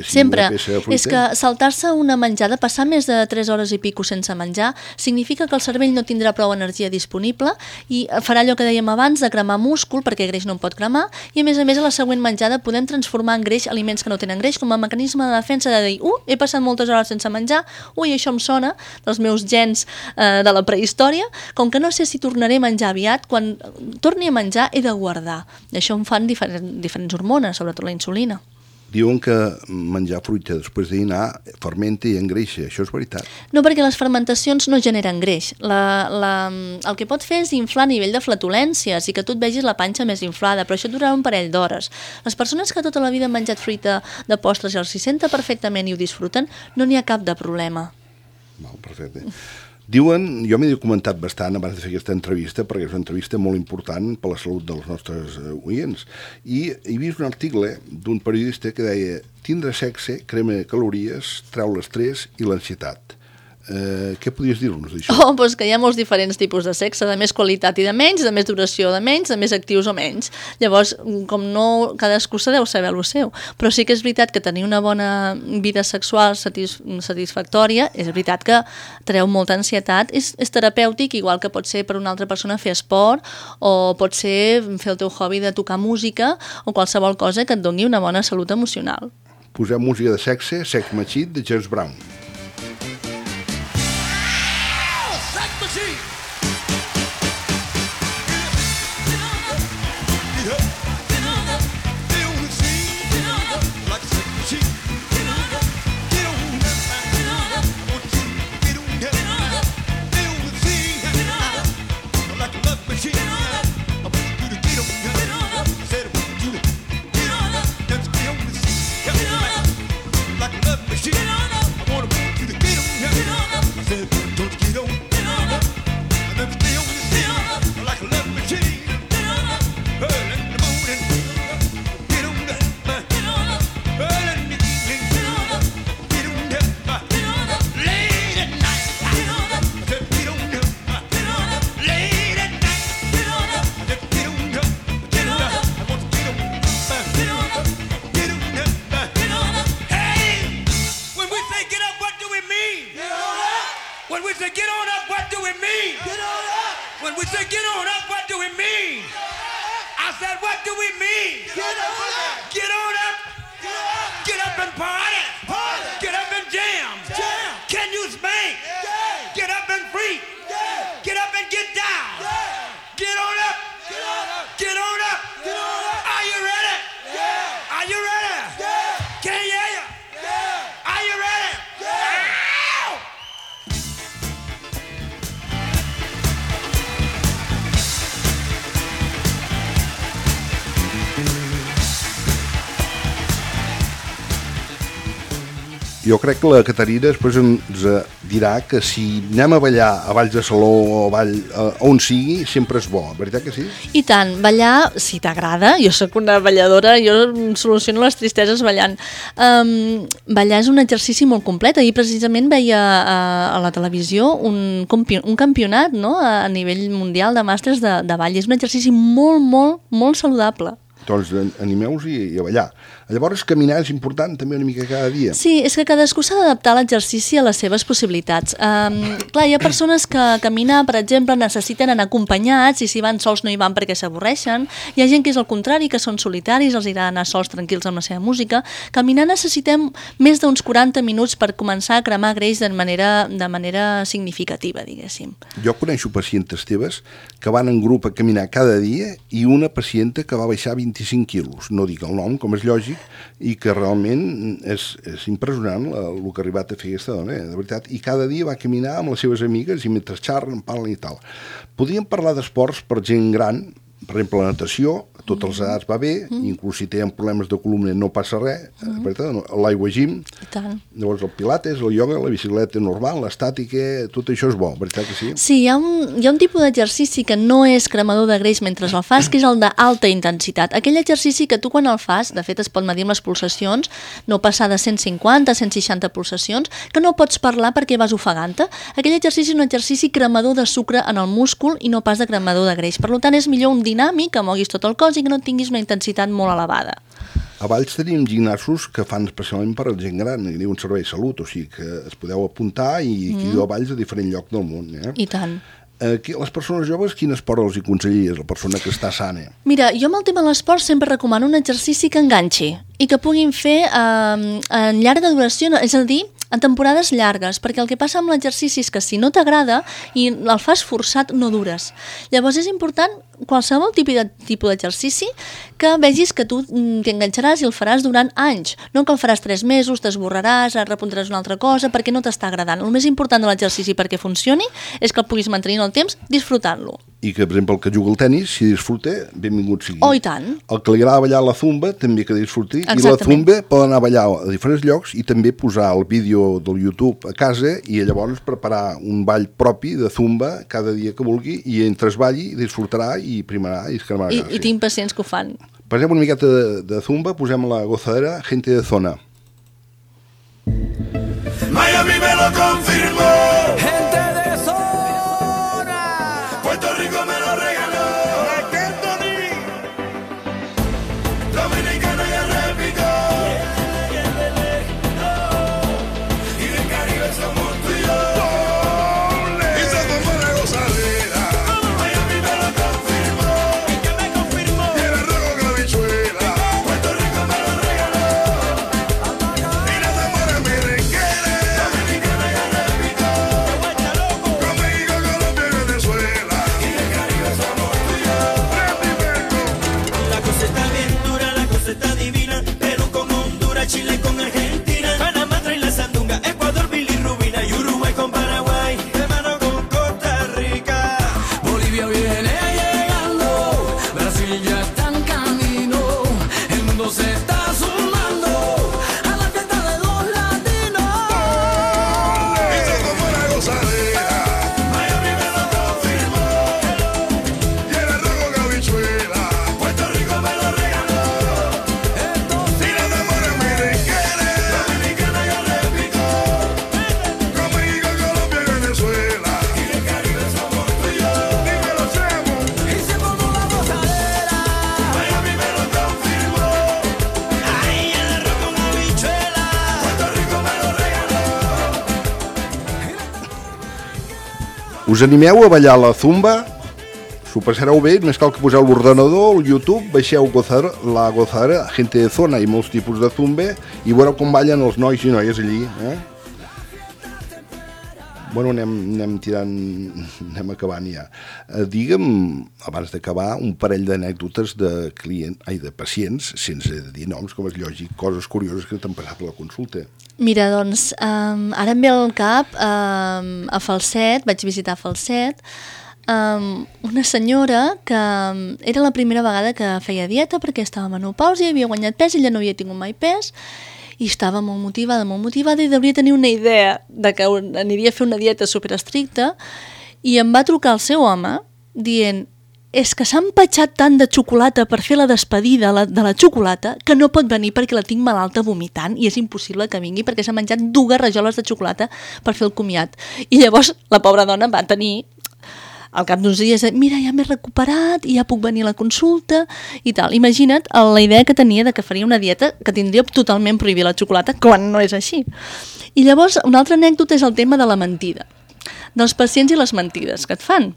Sempre. És que saltar-se una menjada, passar més de 3 hores i pico sense menjar, significa que el cervell no tindrà prou energia disponible i farà allò que dèiem abans de cremar múscul, perquè greix no en pot cremar, i a més a la següent menjada podem transformar en greix aliments que no tenen greix com a mecanisme de defensa de dir, he passat moltes hores sense menjar, això em sona dels meus gens de la prehistòria, com que no sé si tornaré a menjar aviat, quan torni a menjar he de guardar. Això em fan diferents hormones, sobretot la insulina. Diuen que menjar fruita després de dinar fermenta i engreixa. Això és veritat? No, perquè les fermentacions no generen greix. El que pot fer és inflar a nivell de flatulències i que tu et vegis la panxa més inflada, però això durarà un parell d'hores. Les persones que tota la vida han menjat fruita de postres i els s'hi senta perfectament i ho disfruten, no n'hi ha cap de problema. Perfecte. Diuen, jo m'he documentat bastant abans de fer aquesta entrevista, perquè és una entrevista molt important per la salut dels nostres oients, i he vist un article d'un periodista que deia: tindre sexe crema calories, treu l'estrès i l'ansietat. Què podries dir-nos d'això? Doncs que hi ha molts diferents tipus de sexe, de més qualitat i de menys, de més duració o de menys, de més actius o menys. Llavors, com no, cadascú se deu saber el seu. Però sí que és veritat que tenir una bona vida sexual satisfactòria, és veritat que treu molta ansietat, és terapèutic, igual que pot ser per una altra persona fer esport, o pot ser fer el teu hobby de tocar música, o qualsevol cosa que et doni una bona salut emocional. Posem música de sexe, Sex Machine, de James Brown. Jo crec que la Caterina després ens dirà que si anem a ballar a Valls de Saló o on sigui, sempre és bo, veritat que sí? I tant, ballar, si t'agrada, jo sóc una balladora, jo soluciono les tristeses ballant. Ballar és un exercici molt complet. Ahir precisament veia a la televisió un campionat, no?, a nivell mundial de màsters de ball. És un exercici molt, molt, molt saludable. Doncs animeu-vos i a ballar. Llavors, caminar és important també una mica cada dia. Sí, és que cadascú s'ha d'adaptar l'exercici a les seves possibilitats. Clar, hi ha persones que caminar, per exemple, necessiten anar acompanyats i si van sols no hi van perquè s'avorreixen. Hi ha gent que és el contrari, que són solitaris, els agrada anar sols tranquils amb la seva música. Caminar necessitem més d'uns 40 minuts per començar a cremar greix de manera significativa, diguéssim. Jo coneixo pacientes teves que van en grup a caminar cada dia i una pacienta que va baixar 25 quilos. No dic el nom, com és lògic, i que realment és impressionant el que ha arribat a fer aquesta dona, de veritat. I cada dia va caminar amb les seves amigues i mentre xerren, parlen i tal. Podríem parlar d'esports per gent gran, per exemple, la natació, a totes les edats va bé, inclús si tenen problemes de columna no passa res, l'aigua gym, llavors el pilates, el ioga, la bicicleta normal, l'estàtica, tot això és bo, veritat que sí? Sí, hi ha un tipus d'exercici que no és cremador de greix mentre el fas, que és el d'alta intensitat. Aquell exercici que tu quan el fas, de fet es pot medir amb les pulsacions, no passar de 150 a 160 pulsacions, que no pots parlar perquè vas ofegant-te. Aquell exercici és un exercici cremador de sucre en el múscul i no pas de cremador de greix. Per tant, és millor un dinàmic, que moguis tot el cos i que no tinguis una intensitat molt elevada. A Valls tenim gimnasos que fan especialment per a gent gran, hi ha un servei de salut, o sigui que es podeu apuntar i aquí a Valls a diferent lloc del món. I tant. Les persones joves, quin esport els hi aconsellaries, la persona que està sana? Mira, jo amb el tema de l'esport sempre recomano un exercici que enganxi i que puguin fer en llarga duració, és a dir, en temporades llargues, perquè el que passa amb l'exercici és que si no t'agrada i el fas forçat no dures. Llavors és important qualsevol tipus d'exercici que vegis que tu t'enganxaràs i el faràs durant anys. No que el faràs 3 mesos, t'esborraràs, repuntaràs una altra cosa, perquè no t'està agradant. El més important de l'exercici perquè funcioni és que el puguis mantenir en el temps disfrutant-lo. I que, per exemple, el que juga al tenis, si disfruta, benvingut sigui. Oh, i tant. El que li agrada ballar la zumba, també que disfruti. Exactament. I la zumba poden anar a ballar a diferents llocs i també posar el vídeo del YouTube a casa i llavors preparar un ball propi de zumba cada dia que vulgui i entre es balli, disfrutarà i primarà i es cremarà. I tinc pacients que ho fan. Posem una miqueta de zumba, posem la gozadera Gente de Zona. Miami me lo confirmó. Gente de zona. Puerto Rico me lo regaló. Dominicana ya replicó. Y del Caribe somos tú y yo. Y se tomó la gozadera. Miami me lo confirmó. ¿Y qué me confirmó? Y el arroz con habichuela. Puerto Rico me lo regaló. Y la zamora merenguera. Dominicana ya replicó. Con México, Colombia y Venezuela. Y del Caribe somos tú y yo. La cosa está bien dura, la cosa está divina. Perú con Honduras, Chile con Argentina. Panamá trae la sandunga, Ecuador, bilirrubina. Y Uruguay con Paraguay, de mano con Costa Rica. Bolivia viene llegando, Brasil ya está en camino. El mundo se está sumando a la fiesta de los latinos. Y se tomó la gozadera. Miami me lo confirmó. Y el arroz con habichuela. Puerto Rico me lo regaló. Y la zamora merenguera. Dominicana ya replicó. Con México, Colombia y Venezuela. Y del Caribe somos tú y yo. Dímelo, Chemo. Y se formó la gozadera. Miami me lo confirmó. Ay, el arroz con habichuela. Puerto Rico me lo regaló. Us animeu a ballar la zumba? S'ho passareu bé, només cal que poseu l'ordenador, el YouTube, baixeu la gozadera Gente de Zona i molts tipus de zumba i veureu com ballen els nois i noies allí. Bueno, anem tirant, anem acabant ja. Digue'm, abans d'acabar, un parell d'anècdotes de pacients, sense dir noms, com és lògic, coses curioses que t'han passat a la consulta. Mira, doncs, ara em ve al cap, a Falset, vaig visitar Falset, una senyora que era la primera vegada que feia dieta perquè estava en menopàusia, havia guanyat pes, ella no havia tingut mai pes, i estava molt motivada i devia tenir una idea de que aniria a fer una dieta superestricta i em va trucar el seu home dient és que s'ha empatxat tant de xocolata per fer la despedida de la xocolata que no pot venir perquè la tinc malalta vomitant i és impossible que vingui perquè s'ha menjat 2 rajoles de xocolata per fer el comiat. I llavors la pobra dona va tenir al cap d'uns dies, mira, ja m'he recuperat i ja puc venir a la consulta i tal. Imagina't la idea que tenia de que faria una dieta que tindria totalment prohibir la xocolata quan no és així. I llavors, una altra anècdota és el tema de la mentida, dels pacients i les mentides que et fan.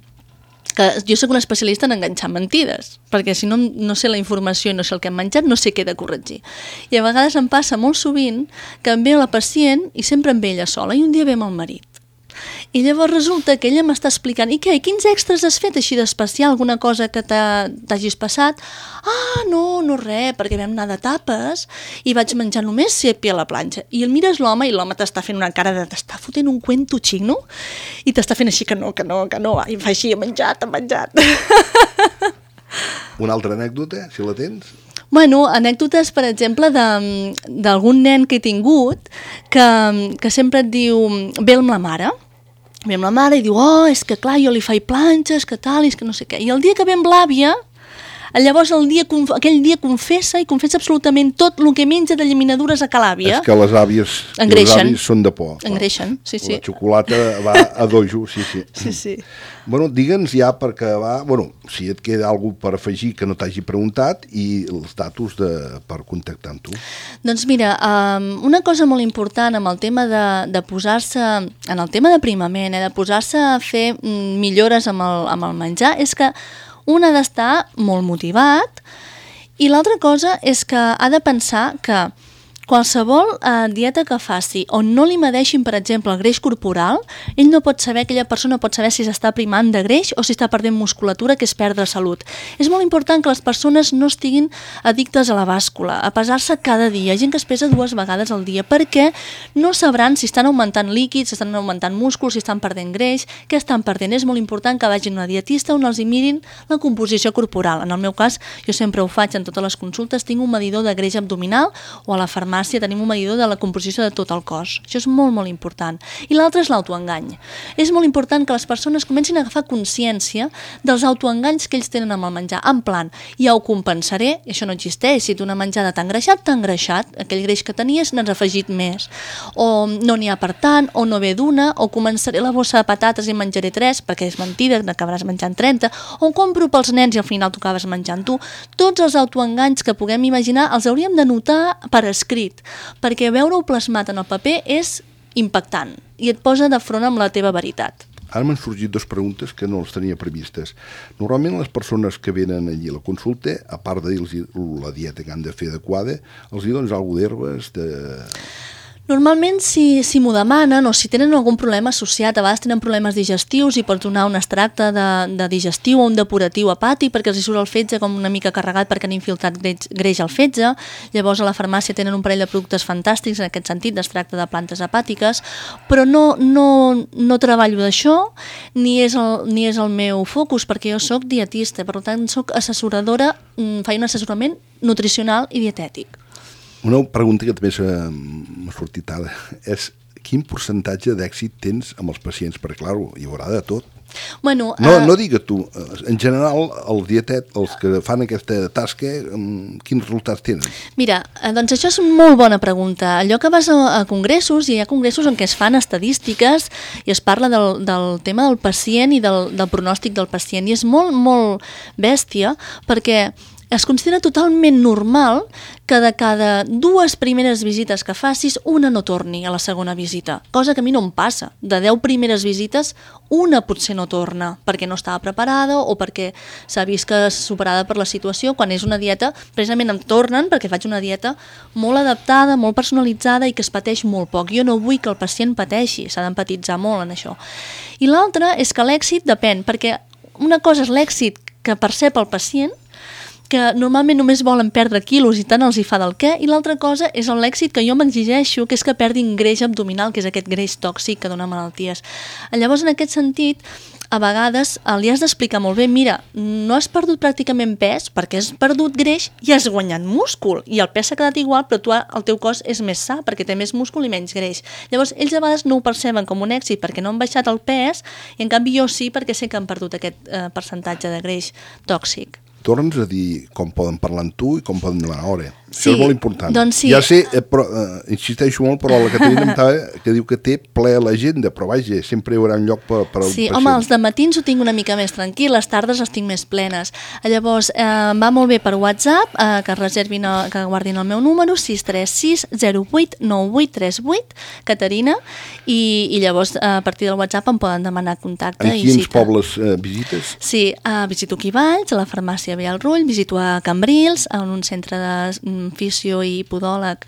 Que jo soc un especialista en enganxar mentides, perquè si no sé la informació i no sé el que hem menjat, no sé què he de corregir. I a vegades em passa molt sovint que em ve la pacient i sempre em ve ella sola i un dia ve amb el marit. I llavors resulta que ella m'està explicant i què, quins extras has fet així d'especial, alguna cosa que t'hagis passat? Ah, no res, perquè vam anar de tapes i vaig menjar només sepi a la planxa. I el mires l'home i l'home t'està fent una cara de t'està fotent un cuento xino i t'està fent així que no, i fa així, he menjat. Una altra anècdota, si la tens? Bueno, anècdotes, per exemple, d'algun nen que he tingut que sempre et diu, ve amb la mare i diu, oh, és que clar, jo li faig planxes, que tal, és que no sé què. I el dia que ve amb l'àvia, llavors aquell dia confessa absolutament tot el que menja de llaminadures a l'àvia. És que les àvies i els avis són de por. Engreixen, sí. La xocolata va a dojo, sí. Sí. Bueno, digue'ns ja per acabar, si et queda alguna cosa per afegir que no t'hagi preguntat i els datos per contactar amb tu. Doncs mira, una cosa molt important amb el tema de posar-se, en el tema d'aprimament, de posar-se a fer millores amb el menjar, és que un ha d'estar molt motivat i l'altra cosa és que ha de pensar que qualsevol dieta que faci on no li medeixin, per exemple, el greix corporal, ell no pot saber, aquella persona pot saber si s'està primant de greix o si està perdent musculatura, que és perdre salut. És molt important que les persones no estiguin addictes a la bàscula, a pesar-se cada dia. Hi ha gent que es pesa 2 vegades al dia perquè no sabran si estan augmentant líquids, si estan augmentant músculs, si estan perdent greix, què estan perdent. És molt important que vagin a una dietista on els hi mirin la composició corporal. En el meu cas, jo sempre ho faig en totes les consultes, tinc un medidor de greix abdominal o a la farmàcia tenim un medidor de la composició de tot el cos. Això és molt, molt important. I l'altre és l'autoengany. És molt important que les persones comencin a agafar consciència dels autoenganys que ells tenen amb el menjar. En plan, ja ho compensaré, això no existeix. Si tu una menjada t'ha engreixat, aquell greix que tenies n'has afegit més. O no n'hi ha per tant, o no ve d'una, o començaré la bossa de patates i menjaré 3, perquè és mentida, n'acabaràs menjant 30, o compro pels nens i al final t'ho acabes menjant tu. Tots els autoenganys que puguem imaginar els hauríem de notar per escrit, perquè veure-ho plasmat en el paper és impactant i et posa de front amb la teva veritat. Ara m'han sorgit 2 preguntes que no les tenia previstes. Normalment les persones que venen allí a la consulta, a part de dir-los la dieta que han de fer adequada, els hi dones alguna d'herbes, Normalment, si m'ho demanen o si tenen algun problema associat, a vegades tenen problemes digestius i pots donar un extracte de digestiu o un depuratiu hepàtic perquè els hi surt el fetge com una mica carregat perquè han infiltrat greix al fetge. Llavors a la farmàcia tenen un parell de productes fantàstics en aquest sentit, d'extracte de plantes hepàtiques, però no treballo d'això ni és el meu focus perquè jo soc dietista, per tant soc assessoradora, faig un assessorament nutricional i dietètic. Una pregunta que també m'ha sortit ara és quin percentatge d'èxit tens amb els pacients? Perquè, clar, hi haurà de tot. Bueno, no digues tu, en general, els que fan aquesta tasca, quins resultats tenen? Mira, doncs això és una molt bona pregunta. Allò que vas a congressos, i hi ha congressos en què es fan estadístiques i es parla del tema del pacient i del pronòstic del pacient, i és molt, molt bèstia perquè es considera totalment normal que de cada 2 primeres visites que facis, una no torni a la segona visita, cosa que a mi no em passa. De 10 primeres visites, una potser no torna, perquè no estava preparada o perquè s'ha vist que és superada per la situació. Quan és una dieta, precisament em tornen perquè faig una dieta molt adaptada, molt personalitzada i que es pateix molt poc. Jo no vull que el pacient pateixi, s'ha d'empatitzar molt en això. I l'altra és que l'èxit depèn, perquè una cosa és l'èxit que percep el pacient, que normalment només volen perdre quilos i tant els hi fa del què, i l'altra cosa és l'èxit que jo m'exigeixo, que és que perdin greix abdominal, que és aquest greix tòxic que dona malalties. Llavors, en aquest sentit, a vegades li has d'explicar molt bé, mira, no has perdut pràcticament pes perquè has perdut greix i has guanyat múscul, i el pes s'ha quedat igual, però el teu cos és més sa perquè té més múscul i menys greix. Llavors, ells a vegades no ho perceben com un èxit perquè no han baixat el pes, i en canvi jo sí perquè sé que han perdut aquest percentatge de greix tòxic. Torna'ns a dir com poden parlar amb tu i com poden demanar hora. Sí, això és molt important. Doncs sí. Ja sé, però, insisteixo molt, però la Caterina que diu que té ple a l'agenda, però vaja, sempre hi haurà un lloc per al pacient. Sí, home, els dematins ho tinc una mica més tranquil, les tardes les tinc més plenes. Llavors, va molt bé per WhatsApp, que reservin, que guardin el meu número, 636 08 9838, Caterina, i llavors a partir del WhatsApp em poden demanar contacte i cita. En quins pobles visites? Sí, visito aquí Valls, a la farmàcia Vialrull, visito a Cambrils, en un centre de fisio i podòleg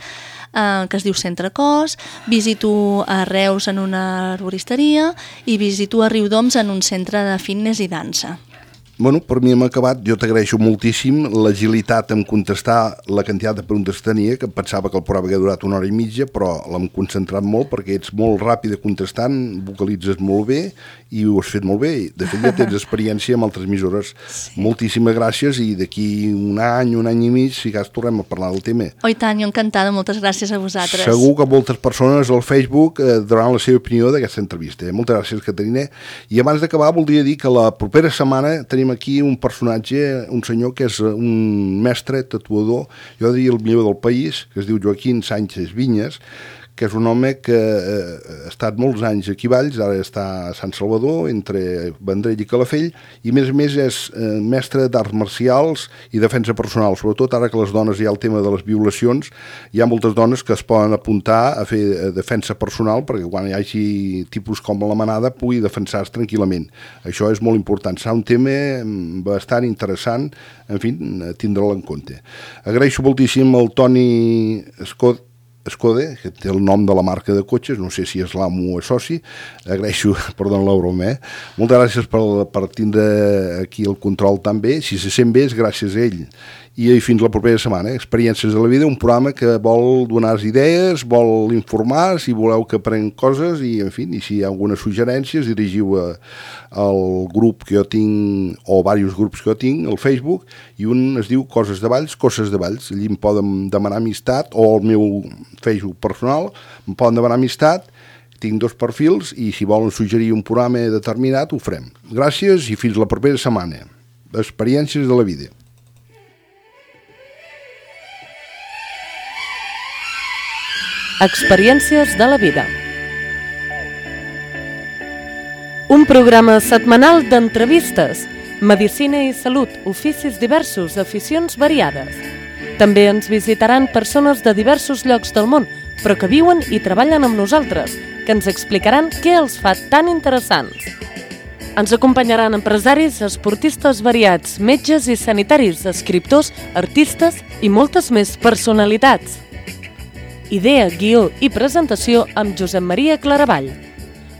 que es diu Centre Cos, visito a Reus en una arboristeria i visito a Riudoms en un centre de fitness i dansa. Bueno, per mi hem acabat. Jo t'agraeixo moltíssim l'agilitat en contestar la quantitat de preguntes que tenia, que pensava que el programa havia durat 1 hora i mitja, però l'hem concentrat molt perquè ets molt ràpida contestant, vocalitzes molt bé i ho has fet molt bé. De fet, ja tens experiència amb altres emissores. Sí. Moltíssimes gràcies i d'aquí un any i mig, si cas, tornem a parlar del tema. Oh, i tant, jo encantada. Moltes gràcies a vosaltres. Segur que moltes persones al Facebook donaran la seva opinió d'aquesta entrevista. Moltes gràcies, Caterina. I abans d'acabar, voldria dir que la propera setmana tenim aquí un personatge, un senyor que és un mestre tatuador, jo diria el millor del país, que es diu Joaquín Sánchez Viñas, que és un home que ha estat molts anys aquí a Valls, ara està a Sant Salvador, entre Vendrell i Calafell, i a més és mestre d'arts marcials i defensa personal, sobretot ara que les dones hi ha el tema de les violacions, hi ha moltes dones que es poden apuntar a fer defensa personal perquè quan hi hagi tipus com la manada pugui defensar-se tranquil·lament. Això és molt important, serà un tema bastant interessant, en fi, tindre'l en compte. Agraeixo moltíssim al Toni Scott Skode, que té el nom de la marca de cotxes, no sé si és l'amo o és soci, agraeixo, perdó la broma, moltes gràcies per tindre aquí el control tan bé, si se sent bé és gràcies a ell, i fins la propera setmana, Experiències de la vida, un programa que vol donar idees, vol informar, si voleu que aprenc coses, i en fi, i si hi ha algunes suggerències, dirigiu al grup que jo tinc, o diversos grups que jo tinc, al Facebook, i un es diu Coses de Valls, allí em poden demanar amistat, o al meu Facebook personal, em poden demanar amistat, tinc 2 perfils, i si volen suggerir un programa determinat, ho farem. Gràcies i fins la propera setmana. Experiències de la vida. Experiències de la vida. Un programa setmanal d'entrevistes, medicina i salut, oficis diversos, aficions variades. També ens visitaran persones de diversos llocs del món, però que viuen i treballen amb nosaltres, que ens explicaran què els fa tan interessants. Ens acompanyaran empresaris, esportistes variats, metges i sanitaris, escriptors, artistes i moltes més personalitats. Idea, guió i presentació amb Josep Maria Claravall.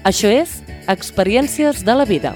Això és Experiències de la vida.